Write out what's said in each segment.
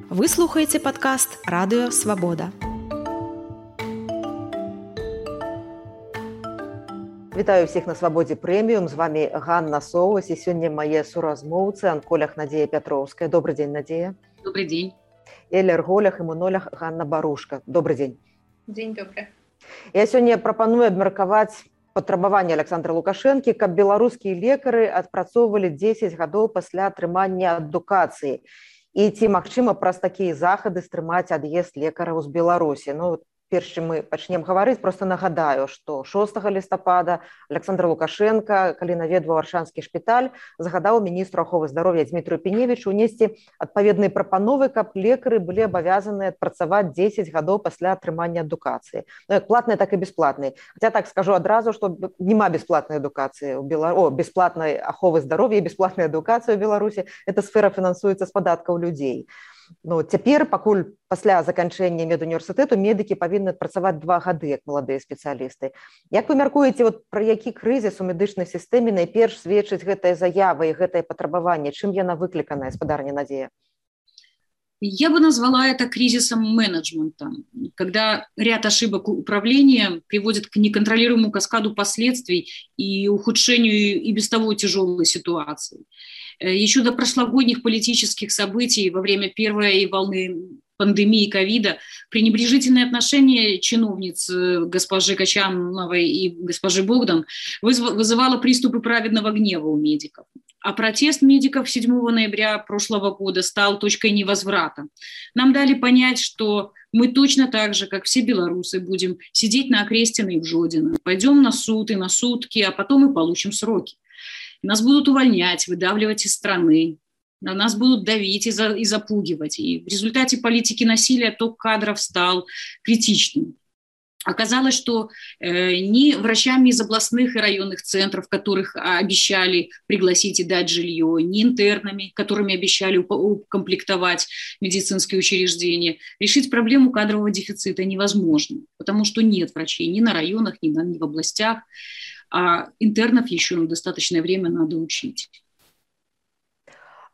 Вы слухаеце падкаст Радыё Свабода. Вітаю ўсіх на Свабодзе прэміум. З вами Ганна Соус і сёння мае суразмоўцы анколях Надзея Пятроўская. Добрый дзень, Надзея. Добрый дзень. І алерголях, імунолях Ганна Барушка. Добрый дзень. Дзень добры. Я сёння прапаную абмеркаваць патрабаванне Александра Лукашэнкі, каб беларускія лекары адпрацоўвалі 10 гадоў пасля атрымання адукацыі. І ці магчыма праз такія захады стрымаць ад'езд лекараў з Беларусі. Перш чым мы пачнем гаварыць, проста нагадаю, што 6 лістапада Александр Лукашенко, калі наведваў Аршанскі шпіталь, загадаў міністру аховы здароўя Дмітрию Пеневічу унесці адпаведныя прапановы, каб лекары былі абавязаныя адпрацаваць 10 гадоў пасля атрымання адукацыі. Як платнай, так і бясплатнай. Хаця так скажу адразу, што няма бясплатнай адукацыі ў Беларусі, бясплатнай аховы здароўя і бясплатнай адукацыі ў Беларусі. Эта сфера фінансуецца з падаткаў людзей. Цяпер, пакуль пасля заканчэння медуніверсітэту, медыкі павінны адпрацаваць 2 гады, як маладыя спецыялісты. Як вы мяркуеце, пра які крызіс у медычнай сістэме найперш сведчыць гэтая заява і гэтае патрабаванне? Чым яна выкліканая, спадарня Надзея? Я бы назвала это кризисом менеджмента, когда ряд ошибок управления приводит к неконтролируемому каскаду последствий и ухудшению и без того тяжелой ситуации. Еще до прошлогодних политических событий во время первой волны пандемии ковида пренебрежительное отношение чиновниц госпожи Качановой и госпожи Богдан вызывало приступы праведного гнева у медиков. А протест медиков 7 ноября прошлого года стал точкой невозврата. Нам дали понять, что мы точно так же, как все белорусы, будем сидеть на Окрестино и в Жодино. Пойдем на суд и на сутки, а потом и получим сроки. Нас будут увольнять, выдавливать из страны. На нас будут давить и запугивать. И в результате политики насилия ток кадров стал критичным. Оказалось, что ни врачами из областных и районных центров, которых обещали пригласить и дать жилье, ни интернами, которыми обещали укомплектовать медицинские учреждения, решить проблему кадрового дефицита невозможно, потому что нет врачей ни на районах, ни в областях, а интернов еще достаточное время надо учить.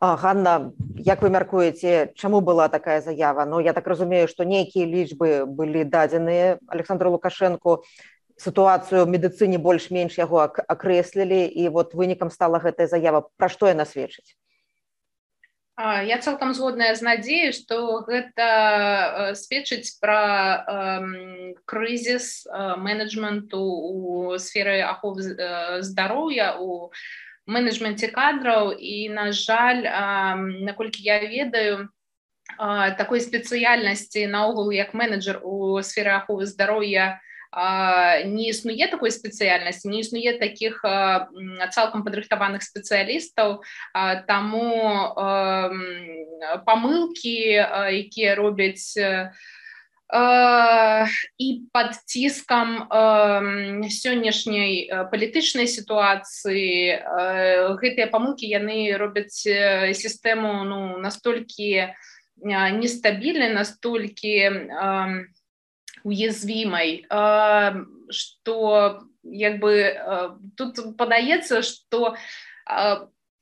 Ганна, як вы мяркуеце, чаму была такая заява? Я так разумею, што нейкія лічбы былі дадзеныя Александру Лукашэнку, сітуацыю ў медыцыне больш-менш яго акрэслілі, і вынікам стала гэтая заява. Пра што яна сведчыць? Я цалкам згодная з Надзеяй, што гэта сведчыць пра крызіс менеджменту ў сферы аховы здароўя, у менеджменте кадраў, і, на жаль, наколькі я ведаю, такой спецыяльнасці наогул як менеджер у сферы аховы здароўя не існуе такой спецыяльнасці, не існуе такіх цалкам падрыхтаваных спецыялістаў, таму памылкі, якія робяць і пад ціскам сённяшняй палітычнай сітуацыі, гэтыя памылкі яны робяць сістэму настолькі нестабільнай, настолькі уязвімай, што тут падаецца, што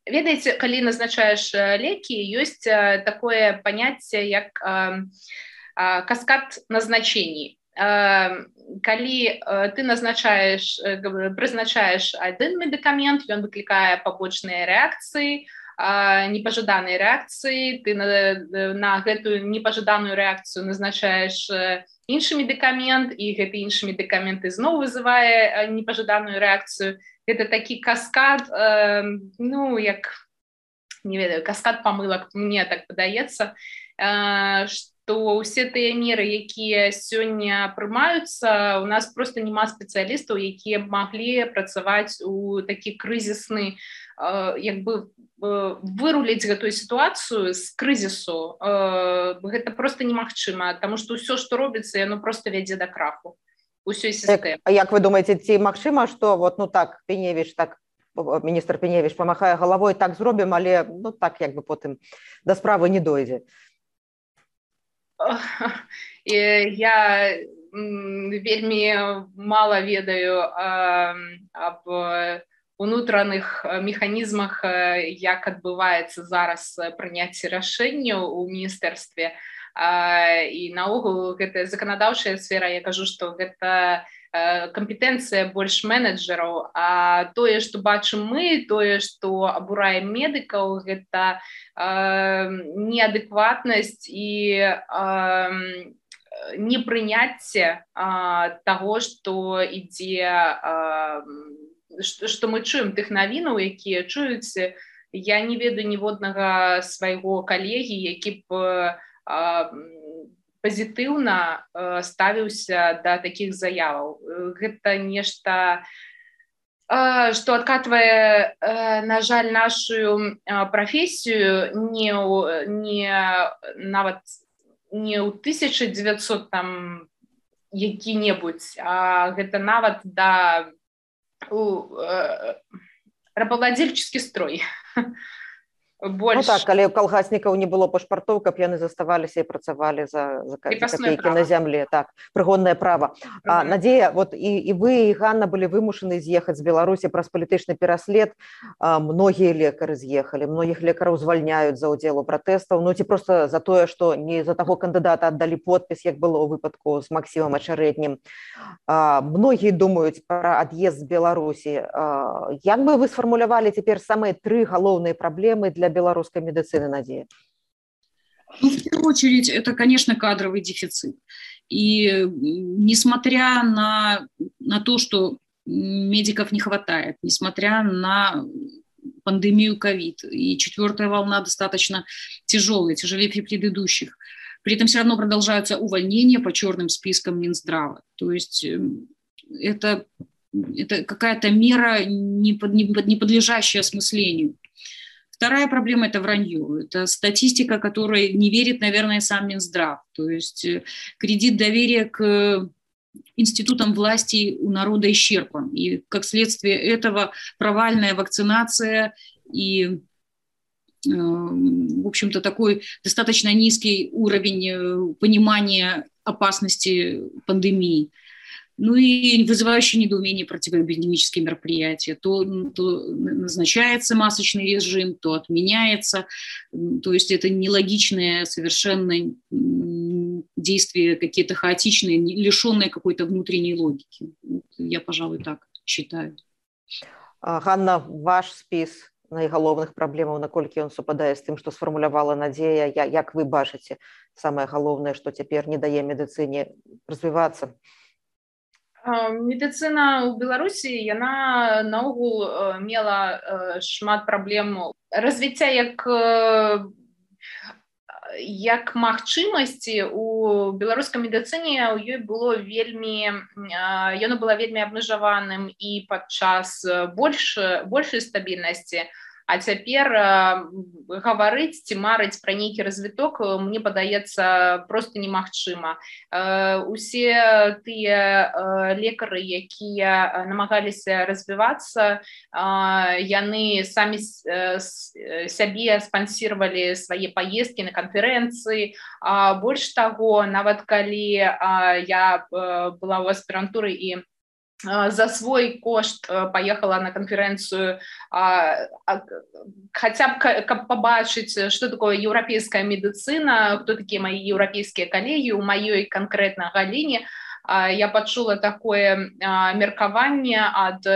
ведаеце, калі назначаеш лекі, ёсць такое паняцце як каскад назначений. Калі ты прызначаеш один медыкамент, ён выклікае пабочныя рэакцыі, непажаданыя рэакцыі, ты на гэтую непажаданую рэакцыю назначаеш іншы медыкамент, і гэты іншы медыкамент ізноў вызывае непажаданую рэакцыю. Гэта такі каскад, не ведаю, каскад памылак, мне так падаецца, што ўсе тыя меры, якія сёння прымаюцца, у нас проста няма спецыялістаў, якія б маглі працаваць у такі крызісны, выруліць гэтую сітуацыю з крызісу. Гэта проста немагчыма, таму што ўсё, што робіцца, яно проста вядзе да краху усёй сістэмы. А як вы думаеце, ці магчыма, што міністр Пеневіч памахае галавой, так зробім, але потым да справы не дойдзе? Я вельмі мала ведаю аб унутраных механізмах, як адбываецца зараз прыняцце рашэнняў у міністэрстве. І наогул гэта заканадаўчая сфера, я кажу, што гэта кампетэнцыя больш менеджераў, а тое, што бачым мы, тое, што абурае медыкаў, гэта неадэкватнасць і непрыняцце таго, што ідзе, што мы чуем тых навінаў, якія чуюць. Я не ведаю ніводнага свайго калегі, які б пазітыўна ставіўся да такіх заяваў. Гэта нешта, што адкатвае, на жаль, нашу прафесію нават не ў 1900 там які-небудзь, а гэта нават да рабавладзельчыскі строй. Больш... Ну так, калі ў калгаснікаў не было пашпартоў, каб яны заставаліся і працавалі за копейкі на зямлі. Так, прыгоннае права. Надзея, вот і вы, і Ганна былі вымушаны з'ехаць з Беларусі праз палітычны пераслед. Многія лекары з'ехалі, многіх лекараў звальняюць за ўдзел у пратэстаў, ну ці проста за тое, што не за таго кандыдата аддалі подпіс, як было ў выпадку з Максімам Ачарэднім. Многія думаюць пра ад'езд з Беларусі. Як бы вы сфармулявалі цяпер самыя 3 галоўныя праблемы для белорусской медицины, Надея? Ну, в первую очередь, это, конечно, кадровый дефицит. И несмотря на то, что медиков не хватает, несмотря на пандемию ковид, и 4-я волна достаточно тяжелая, тяжелее предыдущих, при этом все равно продолжаются увольнения по черным спискам Минздрава. То есть это какая-то мера, не подлежащая осмыслению. Вторая проблема – это вранье. Это статистика, которой не верит, наверное, сам Минздрав. То есть кредит доверия к институтам власти у народа исчерпан. И как следствие этого провальная вакцинация и, в общем-то, такой достаточно низкий уровень понимания опасности пандемии. Ну и вызывающие недоумение противоэпидемические мероприятия. То назначается масочный режим, то отменяется. То есть это нелогичные совершенно действия, какие-то хаотичные, лишенные какой-то внутренней логики. Я, пожалуй, так считаю. Ганна, ваш спіс найгалоўных праблемаў, наколькі ён супадае з тым, што сфармулявала Надзея, як вы бачыце самае галоўнае, што цяпер не дае медыцыне развівацца? Медыцына ў Беларусі, яна наогул мела шмат праблем развіцця як магчымасці. У беларускай медыцыне ў ёй было яно было вельмі абмежаваным і падчас большай стабільнасці. А цяпер гаварыць ці марыць пра нейкі развіток, мне падаецца, проста немагчыма. Усе тыя лекары, якія намагаліся развівацца, яны самі сябе спансіравалі свае паездкі на канферэнцыі. Больш таго, нават калі я была ў аспірантуры і за свой кошт поехала на конференцию, хотя бы как побачить, что такое европейская медицина, кто такие мои европейские коллеги, у моей конкретно галине. Я пачула такое меркаванне ад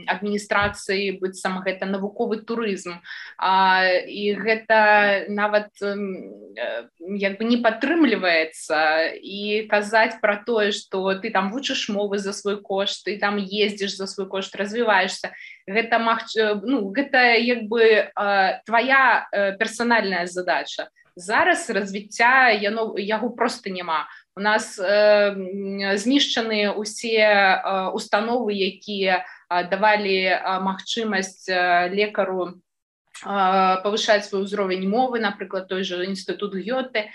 адміністрацыі, быццам гэта навуковы турызм. І гэта нават як бы не падтрымліваецца. І казаць пра тое, што ты там вучыш мовы за свой кошт, ты там ездзіш за свой кошт, развіваешся, гэта як бы твоя персанальная задача. Зараз развіцця яго проста няма. У нас знішчаны усе установы, якія давалі магчымасць лекару павышаць свой узровень мовы, напрыклад, той же інстытут Гёте.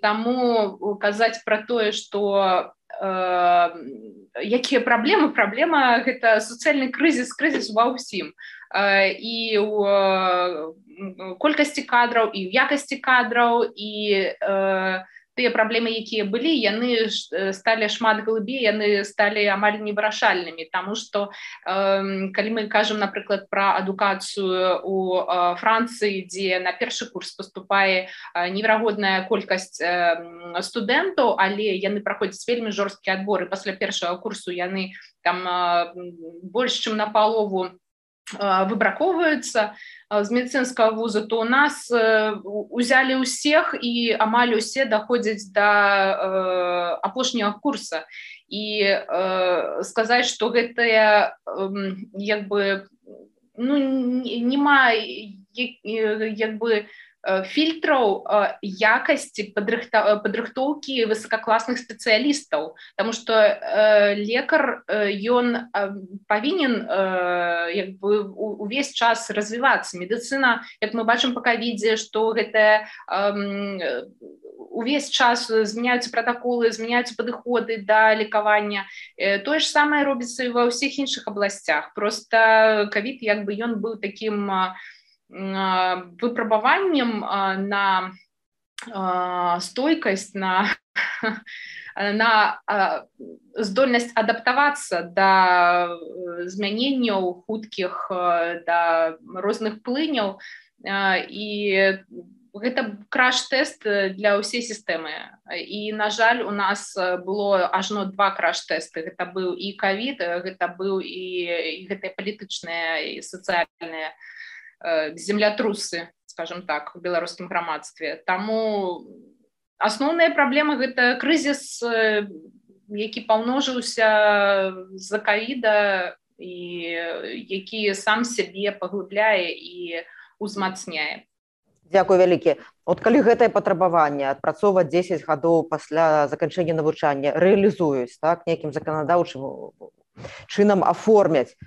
Таму казаць пра тое, што якія праблемы? Праблема – гэта сацыяльны крызіс ва ўсім. І ў колькасці кадраў, і ў якасці кадраў, і тыя праблемы, якія былі, яны сталі шмат глыбей, яны сталі амаль невырашальнымі, таму што калі мы кажам, напрыклад, пра адукацыю у Францыі, дзе на першы курс паступае неверагодная колькасць студэнтаў, але яны праходзяць вельмі жорсткі адбор, і пасля першага курсу яны там больш чым напалову выбраковваюцца з медыцынскага вуза, то у нас узялі ўсіх і амаль усе даходзяць да апошняга курса. І сказаць, што гэтая як бы нема як бы фильтраў якасці падрыхтоўкі высокакласных спецыялістаў, таму што лекар ён павінен як бы увесь час развівацца. Медыцына, як мы бачым па ковідзе, што гэта увесь час змяняюцца пратаколы, змяняюцца падыходы да лекавання. Тое ж самае робіцца і ва ўсіх іншых абласцях. Проста ковід як бы ён быў такім выпрабаваннем на стойкасць, на здольнасць адаптавацца да змяненняў хуткіх, да розных плыняў, і гэта краш-тэст для ўсей сістэмы. І, на жаль, у нас было ажно 2 краш-тэсты. Гэта быў і ковід, гэта быў і гэтыя палітычныя і сацыяльныя землятрусы, скажем так, в беларускім грамадстве. Таму асноўная праблема — гэта крызіс, які памножыўся з-за ковіда і які сам сябе паглыбляе і узмацняе. Дзякуй вялікі. От калі гэтае патрабаванне адпрацоўваць 10 гадоў пасля заканчэння навучання рэалізуюць, так, нейкім заканадаўчым чынам аформяць,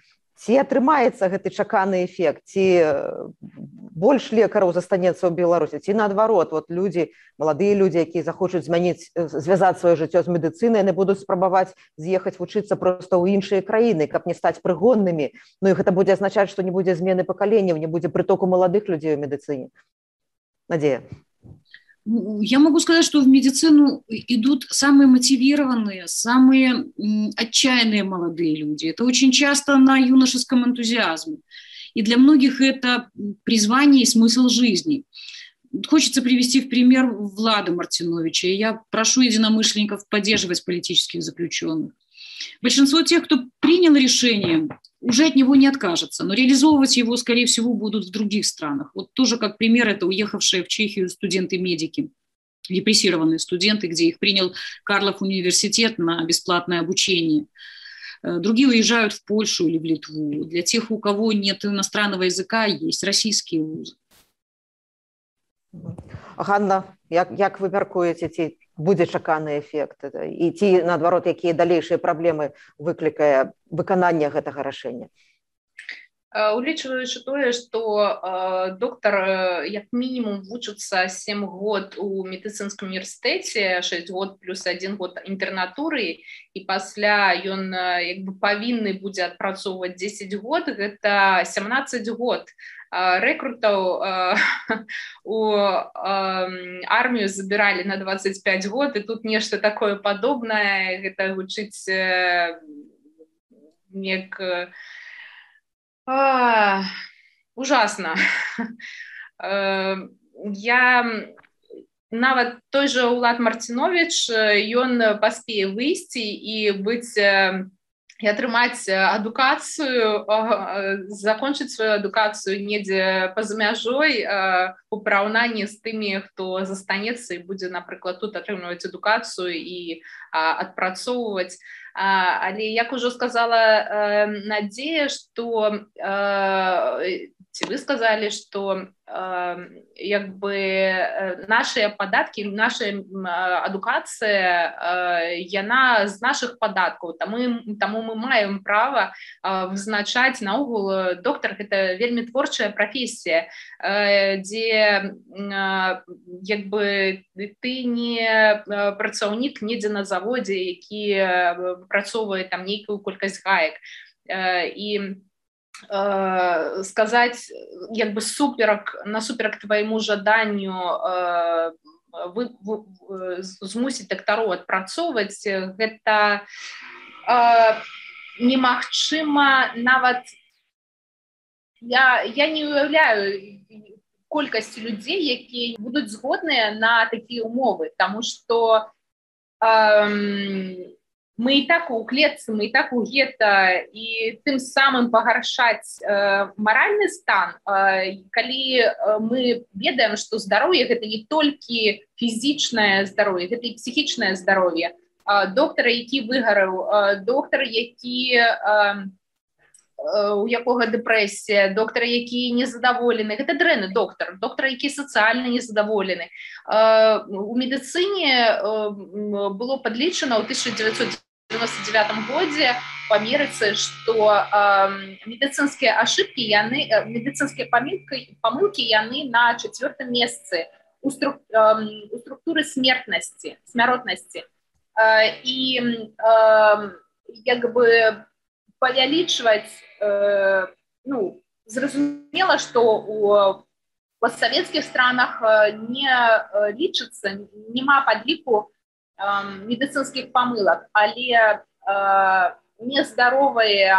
ці атрымаецца гэты чаканы эфект, ці больш лекараў застанецца ў Беларусі, ці наадварот, вот людзі, маладыя людзі, якія захочуць звязаць сваё жыццё з медыцынай, яны будуць спрабаваць з'ехаць вучыцца проста ў іншыя краіны, каб не стаць прыгоннымі. Ну і гэта будзе азначаць, што не будзе змены пакаленняў, не будзе прытоку маладых людзей у медыцыне. Надея. Я могу сказать, что в медицину идут самые мотивированные, самые отчаянные молодые люди. Это очень часто на юношеском энтузиазме. И для многих это призвание и смысл жизни. Хочется привести в пример Влада Мартиновича. Я прошу единомышленников поддерживать политических заключенных. Большинство тех, кто принял решение, уже от него не откажется, но реализовывать его, скорее всего, будут в других странах. Вот тоже как пример, это уехавшие в Чехию студенты-медики, репрессированные студенты, где их принял Карлов университет на бесплатное обучение. Другие уезжают в Польшу или в Литву. Для тех, у кого нет иностранного языка, есть российские вузы. Ганна, як вы мяркуеце, ці будзе чаканы эфект? І ці, наадварот, якія далейшыя праблемы выклікае выкананне гэтага рашэння? Улічваючы тое, што доктар як мінімум вучыцца 7 год у медыцынскім універсітэце, 6 год плюс 1 год інтэрнатуры, і пасля ён як бы павінны будзе адпрацоўваць 10 год, гэта 17 год. Рэкрутаў у армію забіралі на 25 год, і тут нешта такое падобнае, гэта гучыць як ужасна. Я нават той жа Улад Мартинович, ён паспее выйсці і быць і атрымаць адукацыю, закончыць сваю адукацыю недзе па-за мяжой у параўнанні з тымі, хто застанецца і будзе, напрыклад, тут атрымліваць адукацыю і адпрацоўваць. Але, як ужо сказала Надзея, што ці вы сказалі, што як бы нашыя падаткі, наша адукацыя, яна з нашых падаткаў, таму мы маем права вызначаць. Наогул доктар — гэта вельмі творчая прафесія, дзе як бы ты не працаўнік недзе на заводзе, які працоўвае там нейкую колькасць гаек. І сказаць як бы насуперак твайму жаданню змусіць дактароў адпрацоўваць, гэта немагчыма нават. Я не уяўляю колькасць людзей, якія будуць згодныя на такія умовы, таму што мы і так у клетцы, мы і так у гета, і тым самым пагаршаць маральны стан, калі мы ведаем, што здароўе гэта не толькі фізічнае здароўе, гэта і псіхічнае здароўе. Доктар, які выгараў, доктар, у якога дэпрэсія, доктар, які незадаволены, гэта дрэнны доктар, які сацыяльна незадаволены. У медыцыне было падлічана ў 1999 годзе па Амерыцы, што медыцынскія ашыбкі, медыцынскія памылкі яны на 4-м месцы у структуры смяротнасці. І як бы павялічваць, зразумела, што у постсавецкіх странах не лічыцца, няма падліку медыцынскіх памылак, але нездаровы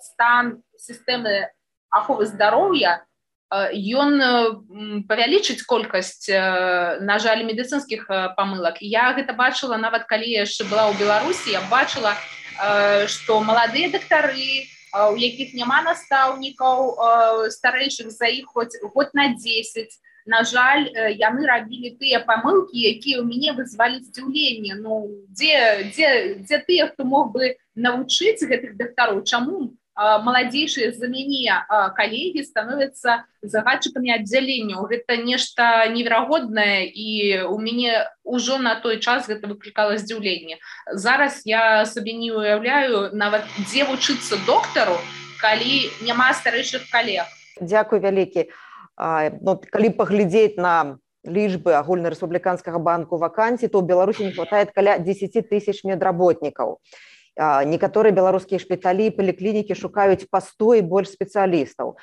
стан сістэмы аховы здароўя, ён павялічыць колькасць, на жаль, медыцынскіх памылак. Я гэта бачыла, нават калі яшчэ была ў Беларусі, я бачыла, што маладыя дактары, у якіх няма настаўнікаў старэйшых за іх год на 10, на жаль, яны рабілі тыя памылкі, якія ў мяне вызвалі здзіўленне. Дзе тыя, хто мог бы навучыць гэтых дактароў? Чаму маладзейшыя за мяне калегі становяцца загадчыкамі аддзяленняў? Гэта нешта неверагоднае, і у мяне ўжо на той час гэта выклікала здзіўленне. Зараз я сабе не уяўляю нават, дзе вучыцца доктару, калі няма старэйшых калег. Дзякуй вялікі. Калі паглядзець на лічбы агульнарэспубліканскага банку вакансій, то ў Беларусі не хватает каля 10 тысяч медработнікаў. Некаторыя беларускія шпіталі і паліклінікі шукаюць па 100 і больш спецыялістаў.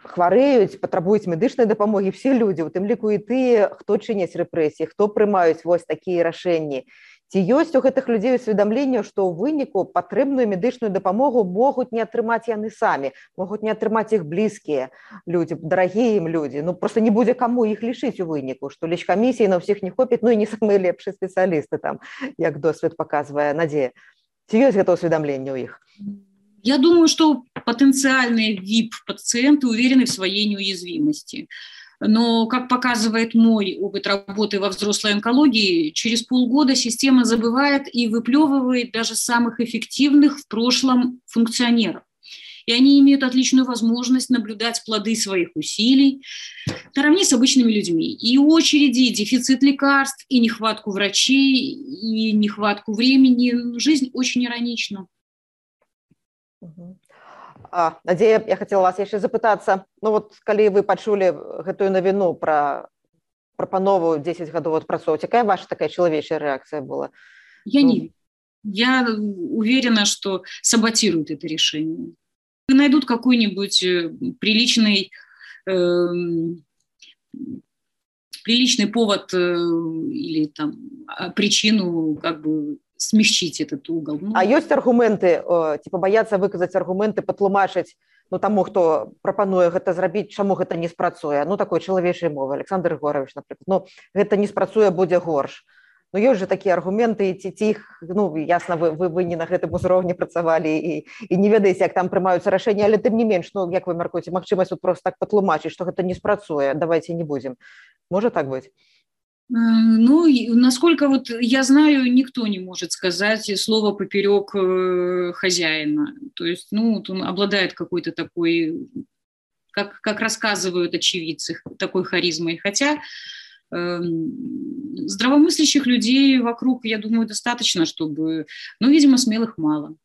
Хварэюць, патрабуюць медычнай дапамогі все людзі, у тым ліку і тыя, хто чыняць рэпрэсіі, хто прымаюць вось такія рашэнні. Ці ёсць у гэтых людзей усведамленне, што ў выніку патрэбную медычную дапамогу могуць не атрымаць яны самі, могуць не атрымаць іх блізкія людзі, дарагія ім людзі. Проста не будзе каму іх лічыць у выніку, што лечкамісіі на ўсіх не хопіць, і не самыя лепшыя спецыялісты там, як досвед паказвае Надзея. Ці ёсць гэта усведамленне ў іх? Я думаю, что потенциальные VIP-пациенты уверены в своей неуязвимости. Но, как показывает мой опыт работы во взрослой онкологии, через полгода система забывает и выплевывает даже самых эффективных в прошлом функционеров. И они имеют отличную возможность наблюдать плоды своих усилий наравне с обычными людьми. И очереди, и дефицит лекарств, и нехватку врачей, и нехватку времени. Жизнь очень иронична. Надзея, я хотела вас яшчэ запытацца, калі вы пачулі гэтую навіну пра прапанову 10 гадоў адпрацоўваць, якая ваша такая чалавечая рэакцыя была? Я уверена, что саботируют это решение. Найдут какой-нибудь приличный повод или там причину смягчить этот угол. А ёсць аргументы, бояцца выказаць аргументы, патлумачыць таму, хто прапануе гэта зрабіць, чаму гэта не спрацуе? Такой чалавечай мовы, Александр Егорович, напрыклад. Гэта не спрацуе, будзе горш. Ёсць жа такія аргументы, ці іх, ясна, вы не на гэтым узроўні працавалі і не ведаеце, як там прымаюцца рашэнні, але тым не менш, як вы мяркуеце, магчымасць проста так патлумачыць, што гэта не спрацуе, давайте не будзем. Можа так быць? Насколько я знаю, никто не может сказать слово поперек хозяина. То есть, он обладает какой-то такой, как рассказывают очевидцы, такой харизмой. Хотя здравомыслящих людей вокруг, я думаю, достаточно, чтобы, видимо, смелых мало.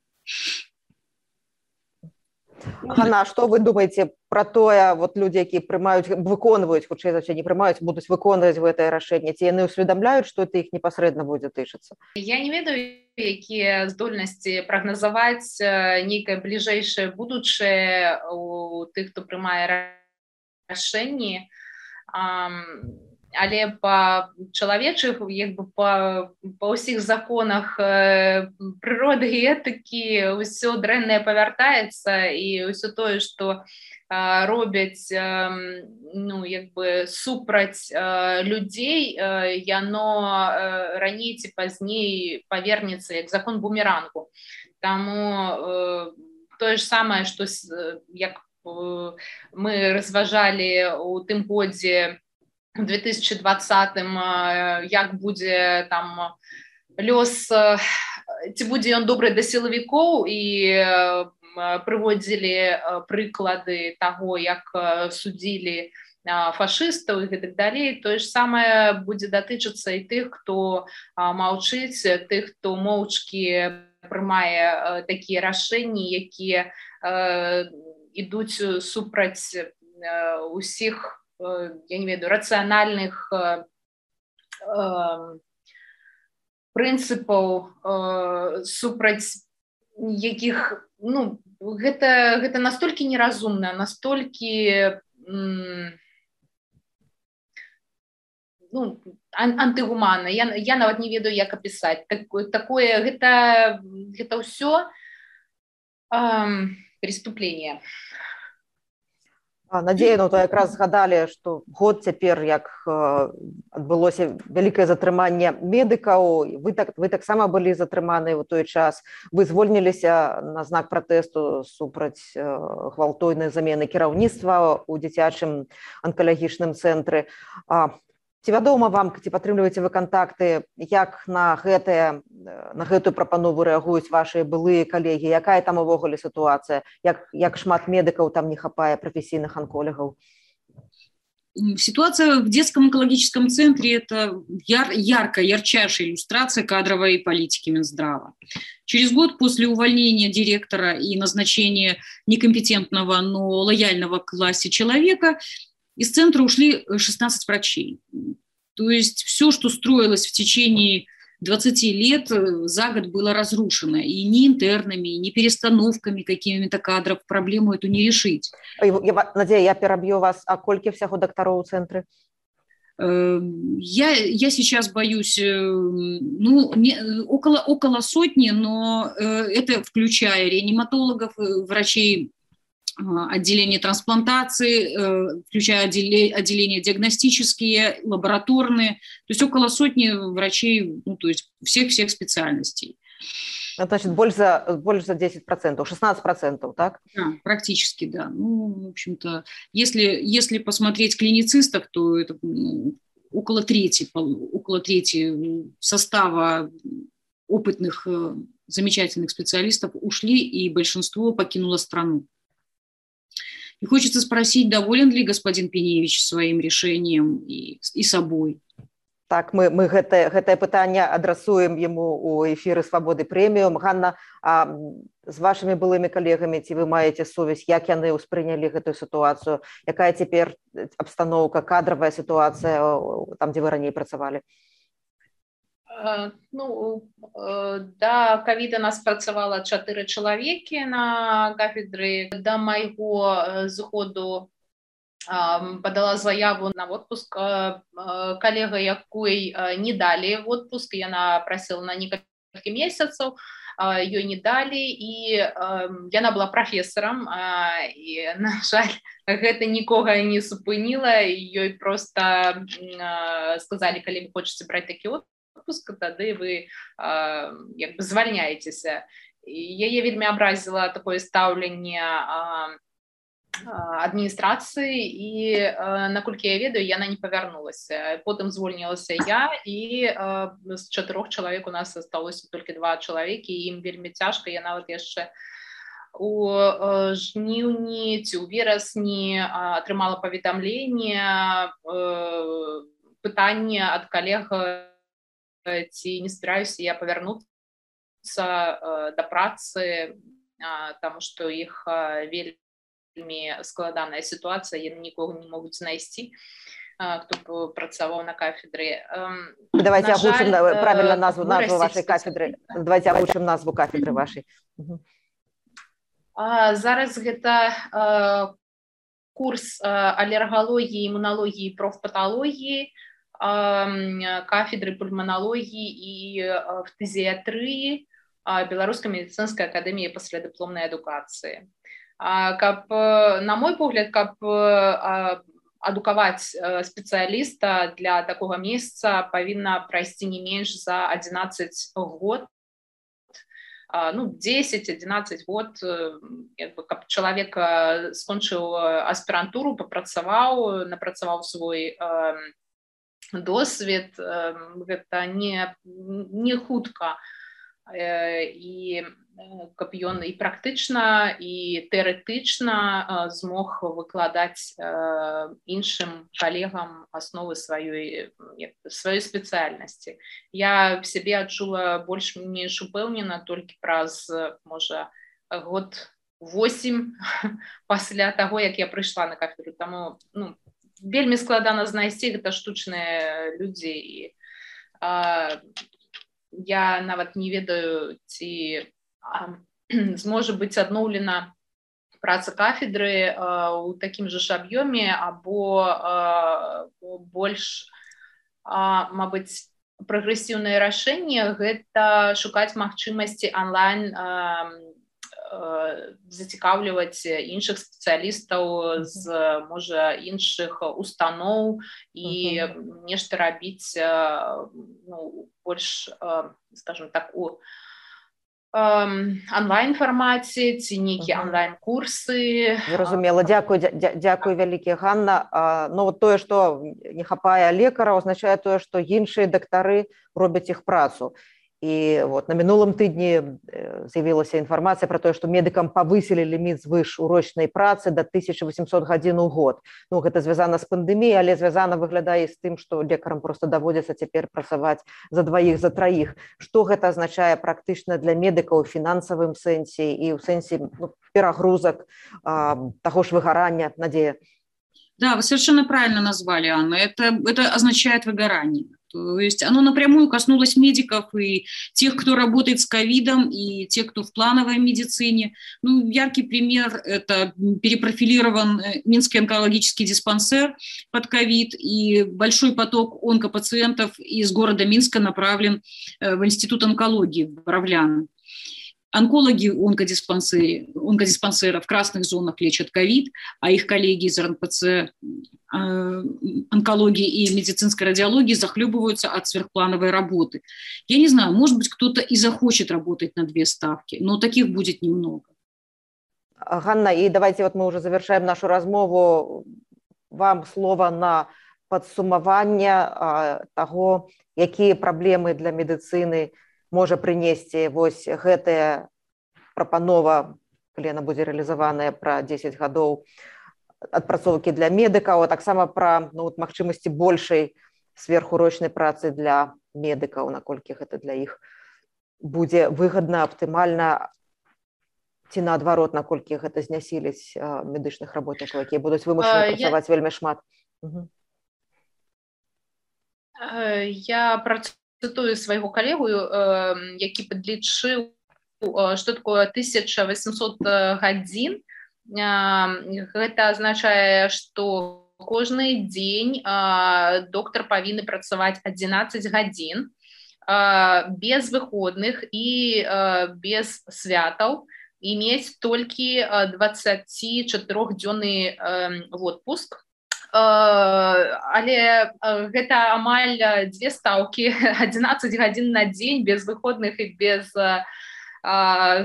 Ганна, што вы думаеце пра тое, людзі, якія выконваюць, хутчэй за ўсё не прымаюць, будуць выконваць гэтае рашэнне, ці яны ўсведамляюць, што это іх непасрэдна будзе тычыцца? Я не ведаю, якія здольнасці прагназаваць нейкае бліжэйшае будучае у тых, хто прымае рашэнні. але па чалавечых па ўсіх законах прыроды і этыкі ўсё дрэннае павяртаецца, і ўсё тое, што робяць супраць людзей, яно раней ці пазней павернецца як закон бумерангу. Таму тое ж самае, што як мы разважалі ў тым годзе, у 2020-м, як будзе там лёс, ці будзе ён добры да сілавікоў, і прыводзілі прыклады таго, як судзілі фашыстаў і гэтак далей. Тое ж самае будзе датычыцца і тых, хто маўчыць, тых, хто моўчкі прымае такія рашэнні, якія ідуць супраць усіх, я не ведаю, рацыянальных прынцыпаў, супраць якіх, гэта настолькі неразумна, настолькі антыгуманна. Я нават не ведаю, як апісаць. Гэта ўсё преступление. Надзея, то якраз згадалі, што год цяпер, як адбылося вялікае затрыманне медыкаў, вы таксама былі затрыманы ў той час, вы звольніліся на знак пратэсту супраць гвалтойнай замены кіраўніцтва ў дзіцячым анкалагічным цэнтры. Ці вядома вам, ці падтрымліваеце вы кантакты, як на гэтую прапанову рэагуюць вашыя былыя калегі? Якая там увогуле сітуацыя? Як шмат медыкаў там не хапае, прафесійных онкологаў? Ситуация в детском онкологическом центре – это ярчайшая иллюстрация кадровой политики Минздрава. Через год после увольнения директора и назначения некомпетентного, но лояльного к власти человека из центра ушли 16 врачей. То есть все, что строилось в течение 20 лет, за год было разрушено. И ни интернами, ни перестановками какими-то кадров проблему эту не решить. Надея, я перебью вас. А колькі всяго докторов у центре? Я сейчас боюсь, около сотни, но это включая реаниматологов, врачей, отделение трансплантации, включая отделения диагностические, лабораторные, то есть около сотни врачей, то есть всех специальностей. Значит, больше за 10%, 16%, так? Да, практически, да. В общем-то, если посмотреть клиницистов, то это около трети состава опытных, замечательных специалистов ушли, и большинство покинуло страну. И хочется спросить, доволен ли господин Пеневич своим решением и собой? Так, мы гэтае пытанне адрасуем ему у эфіры «Свабоды прэміум». Ганна, з вашымі былымі калегамі, ці вы маеце сувязь, як яны ўспрынялі гэтую сітуацыю? Якая цяпер абстаноўка, кадравая сітуацыя там, дзе вы раней працавалі? Да ковіда нас працавала 4 чалавекі на кафедры. Да майго зыходу подала заяву на отпуск. Калега, якой не далі отпуск, яна прасіла на некалькі месяцаў, ёй не далі, і яна была прафесарам, і, на жаль, гэта нікога не супыніла, ёй проста сказалі, калі вы хочаце браць такі отпуск, тады вы звальняецеся. Яе вельмі абразіла такое стаўленне адміністрацыі, і, наколькі я ведаю, яна не павярнулася. Потым звольнілася я, і з 4 чалавек у нас асталося толькі 2 чалавекі, і ім вельмі цяжка. Я нават яшчэ у жніўні ці ў верасні атрымала паведамленне, пытанне ад калег, ці не збіраюся я павярнуцца да працы, таму што іх вельмі складаная сітуацыя, яны нікога не могуць знайсці, хто б працаваў на кафедры. Давайте агучым правильно назву вашай кафедры. Давайте агучым назву кафедры вашай. Зараз гэта курс алергалогіі, імуналогіі, профпаталогіі. кафедры пульмонологии и фтизиатрии Белорусской медицинской академии паслядыпломной адукации. На мой погляд, каб адукаваць спецыяліста для такого месяца павінна прайсці не менш за 11 год, 10-11 год, каб чалавек скончыў аспірантуру, напрацаваў свой досвед, гэта не хутка, і каб ён і практычна, і тэарэтычна змог выкладаць іншым калегам асновы сваёй спецыяльнасці. Я в сябе адчула больш-менш упэўнена толькі праз, можа, год 8 пасля таго, як я прыйшла на кафедру. Таму вельмі складана знайсці, гэта штучныя людзі, і я нават не ведаю, ці зможа быць адноўлена праца кафедры ў такім жа ж аб'ёме, або больш, мабыць, прагрэсіўнае рашэнне — гэта шукаць магчымасці онлайн зацікаўліваць іншых спецыялістаў з, можа, іншых устаноў і нешта рабіць больш, скажем так, у онлайн-фармаце ці нейкія онлайн-курсы. Зразумела. Дзякуй вялікі, Ганна. Вот тое, што не хапае лекара, означае тое, што іншыя дактары робяць іх працу. І вот на мінулым тыдні з'явілася інфармацыя пра тое, што медыкам павысілі ліміт звышурочнай працы да 1800 гадзін у год. Гэта звязана з пандэміяй, але звязана, выглядае, з тым, што лекарам проста даводзіцца цяпер працаваць за дваіх, за траіх. Што гэта азначае практычна для медыкаў у фінансавым сэнсе і ў сэнсе перагрузак, таго ж выгарання, Надзея? Да, вы совершенно правильно назвали, Анна. Это означает выгорание. То есть оно напрямую коснулось медиков и тех, кто работает с ковидом, и тех, кто в плановой медицине. Яркий пример – это перепрофилирован Минский онкологический диспансер под ковид, и большой поток онкопациентов из города Минска направлен в Институт онкологии в Боровляны. Онкологи онкодиспансера в красных зонах лечат ковид, а их коллеги из РНПЦ онкологии и медицинской радиологии захлебываются от сверхплановой работы. Я не знаю, может быть, кто-то и захочет работать на 2 ставки, но таких будет немного. Ганна, и давайте вот мы уже завершаем нашу размову. Вам слово на падсумаванне таго, якія праблемы для медыцыны можа прынесці вось гэтая прапанова, калі яна будзе рэалізаваная, пра 10 гадоў адпрацоўкі для медыкаў, а таксама пра магчымасці большай сверхурочнай працы для медыкаў, наколькі гэта для іх будзе выгадна, аптымальна, ці наадварот, наколькі гэта знясіліць медычных работнікаў, якія будуць вымушаны працаваць вельмі шмат. Я працытую свайго калегу, які падлічыў, што такое 1800 гадзін. Гэта азначае, што кожны дзень доктар павінны працаваць 11 гадзін без выходных і без святаў, і мець толькі 24-дзённы отпуск. Але гэта амаль 2 стаўкі, 11 гадзін на дзень без выходных і без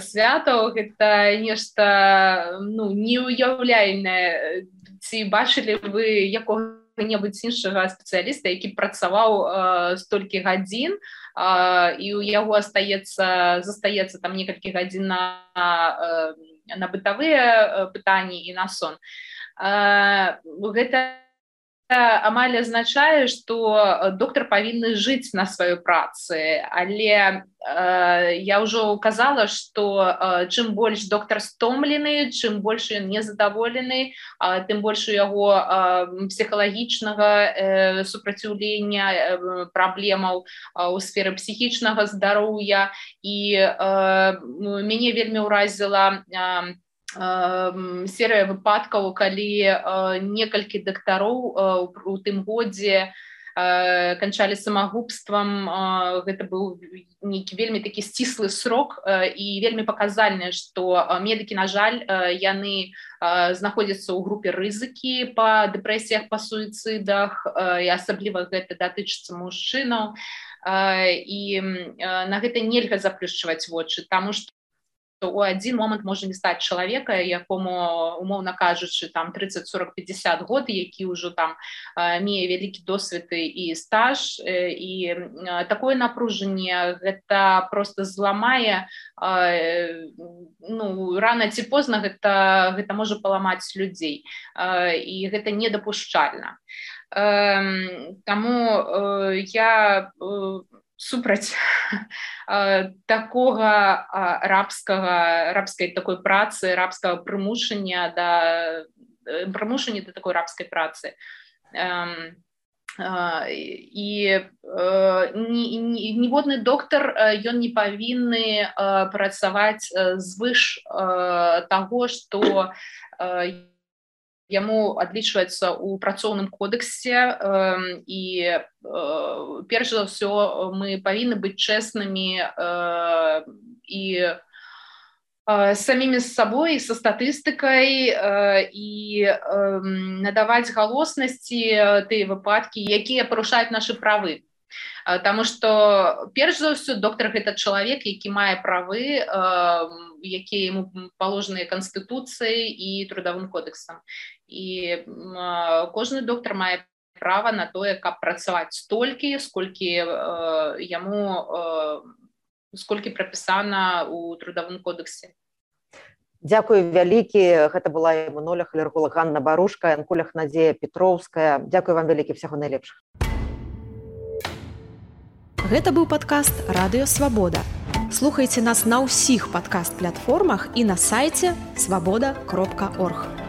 святаў. Гэта нешта неуяўляльнае. Ці бачылі вы якога-небудзь іншага спецыяліста, які працаваў столькі гадзін, і ў яго застаецца там некалькі гадзін на бытавыя пытанні і на сон. Гэта амаль азначае, што доктар павінны жыць на сваёй працы, але я ўжо казала, што чым больш доктар стомлены, чым больш ён незадаволены, тым больш у яго псіхалагічнага супраціўлення, праблемаў у сферы псіхічнага здароўя. І мяне вельмі ўразіла серыя выпадкаў, калі некалькі дактароў у тым годзе канчалі самагубствам. Гэта быў нейкі вельмі такі сціслы срок і вельмі паказальна, што медыкі, на жаль, яны знаходзяцца ў групе рызыкі па дэпрэсіях, па суіцыдах, і асабліва гэта датычыцца мужчынаў. І на гэта нельга заплюшчваць вочы, таму што у адзін момант можа не стаць чалавека, якому, умоўна кажучы, там 30, 40, 50 год, які ўжо там мее вялікі досвед і стаж, і такое напружанне гэта просто зламае, рана ці позна гэта можа паламаць людзей, і гэта недапушчальна. Таму я супраць такога рабскай такой працы, рабскага прымушання да такой рабскай працы. І ніводны доктар, ён не павінны працаваць звыш таго, што яму адлічваецца ў працоўным кодексе, і перш за ўсё мы павінны быць чэснымі і самімі з сабой, са статыстыкай, і надаваць галоснасці тыя выпадкі, якія парушаюць нашы правы. Таму што перш за ўсё доктар гэта чалавек, які мае правы, якія яму паложаныя канстытуцыяй і трудовым кодэксам. І кожны доктар мае права на тое, каб працаваць столькі, сколькі прапісана ў трудовым кодэксе. Дзякую вялікі. Гэта была імунолог, алерголог Ганна Барушка, анколог Надзея Петроўская. Дзякую вам вялікі, всяго найлепшых. Гэта быў падкаст «Радыё Свабода». Слухайце нас на ўсіх падкаст-платформах і на сайце свабода.орг.